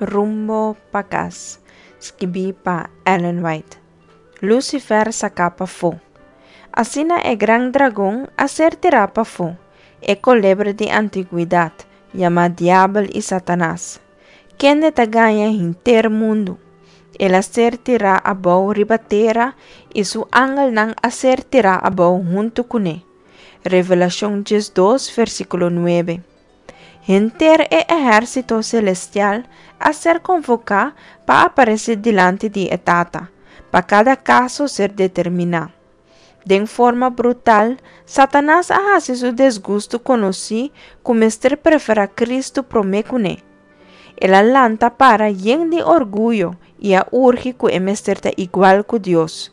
Rumbo pa Kas, skibí pa Ellen White. Lucifer saká pafó. Asina e gran dragon a ser tirá pafó, e kolebra di antigwedat, yamá Diabel i Satanas, kende ta gaña henter mundu. El a ser tirá abou riba tera i su angelnan a ser tirá abou huntu kuné. Revelashon 12, versíkulo 9. Henter e ehérsito selestial a ser konvoká pa aparesé dilanti di e Tata, pa kada kaso ser determiná. Den forma brutal, Satanas a hasi su desgustu konosí ku mester preferá Kristu promé kuné. El a lanta para yen di orguyo i a urgi ku e mester ta igual ku Dios,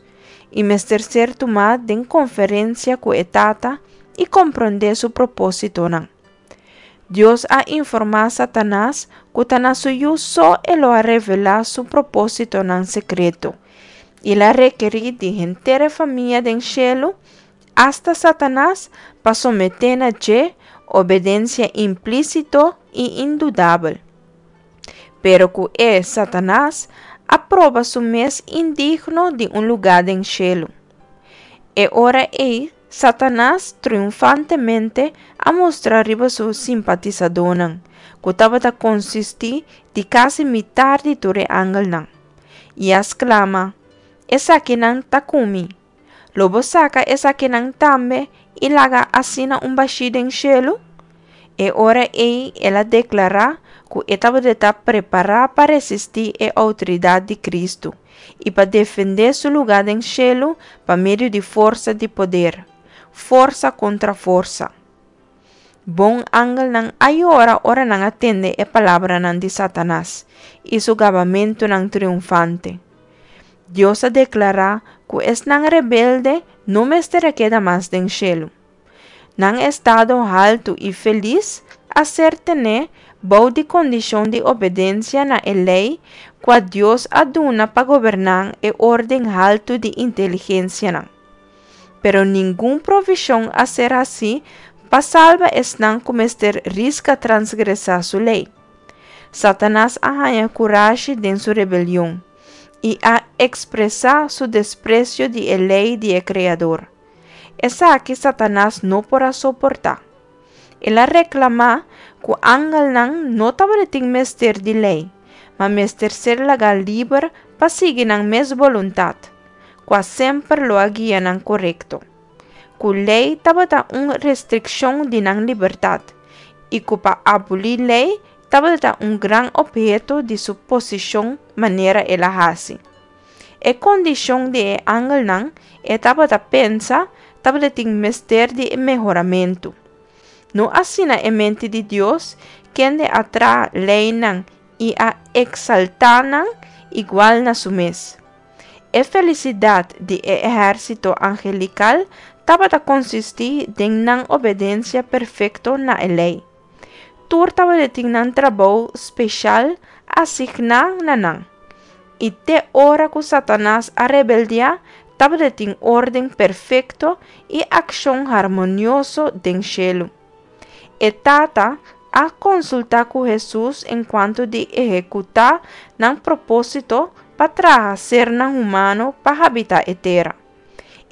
i mester ser tumá den konferensia ku e Tata i komprondé su propósitonan. Dios a informá Satanas ku ta na su Yu so e lo a revelá su propósitonan sekreto, i el a rekerí di henter e famia den shelu, asta Satanas, pa someté na dje obedensia implísito i indudabel. Pero ku e, Satanas, a proba su mes indigno di un lugá den shelu. E ora ei, Satanas triunfantemente a mustra riba su simpatisadónan, ku tabata konsistí di kasi mitar di tur e angelnan, i a sklama, Esakinan ta ku mi! Lo bo saka esakinan tambe i laga asina un bashí den shelu? E ora ei el a deklará ku e tabata ta prepará pa resistí e outoridat di Kristu i pa defendé su lugá den shelu pa medio di forsa di poder, forsa kontra forsa. Bon angelnan a yora ora nan a tende e palabranan di Satanas i su gabamentunan triunfante. Dios a deklará ku esnan rebelde no mester a keda mas den shelu. Nan estado haltu i felis a ser tené bou di kondishon di obedensia na e lei kua Dios a duna pa goberná e órden haltu di inteligensianan. Pero ningun provishon a ser hasí pa salba esnan ku mester riska transgresá su lei. Satanas a haña kurashi den su rebelion i a ekspresá su despresio di e lei di e Kreador. Esaki Satanas no por a soportá. El a reklamá ku angelnan no tabatin mester di lei, ma mester ser lagá liber pa sigui nan mes boluntat, kua semper lo a guia nan korekto. Ku lei tabata un restrikshon di nan libertat, i ku pa abolí lei tabata un gran opheto di su posishon manera el a hasi. E kondishon di e angelnan, e tabata pensa, tabatin mester di mehoramentu. No asina e mente di Dios, kende a traha leinan i a eksaltá nan igual na su mes. E felisidat di e ehérsito angelikal tabata konsistí den nan obedensia perfekto na e lei. Tur tabatin nan trabou speshal asigná na nan. I te ora ku Satanas a rebeldiá, tabatin órden perfekto i akshon harmonioso den shelu. E Tata a konsultá ku Hesus enkuanto di ehekutá nan propósito pa traha sernan humano pa habitá e tera.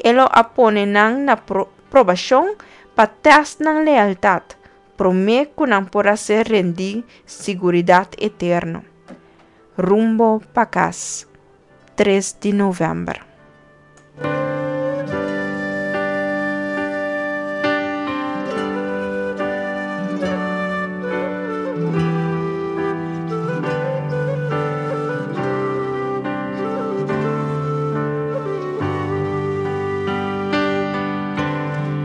E lo a pone nan na probashon pa tèst nan lealtat, promé ku nan por a ser rendí siguridat eterno. Rumbo pa kas, 3 di novèmber.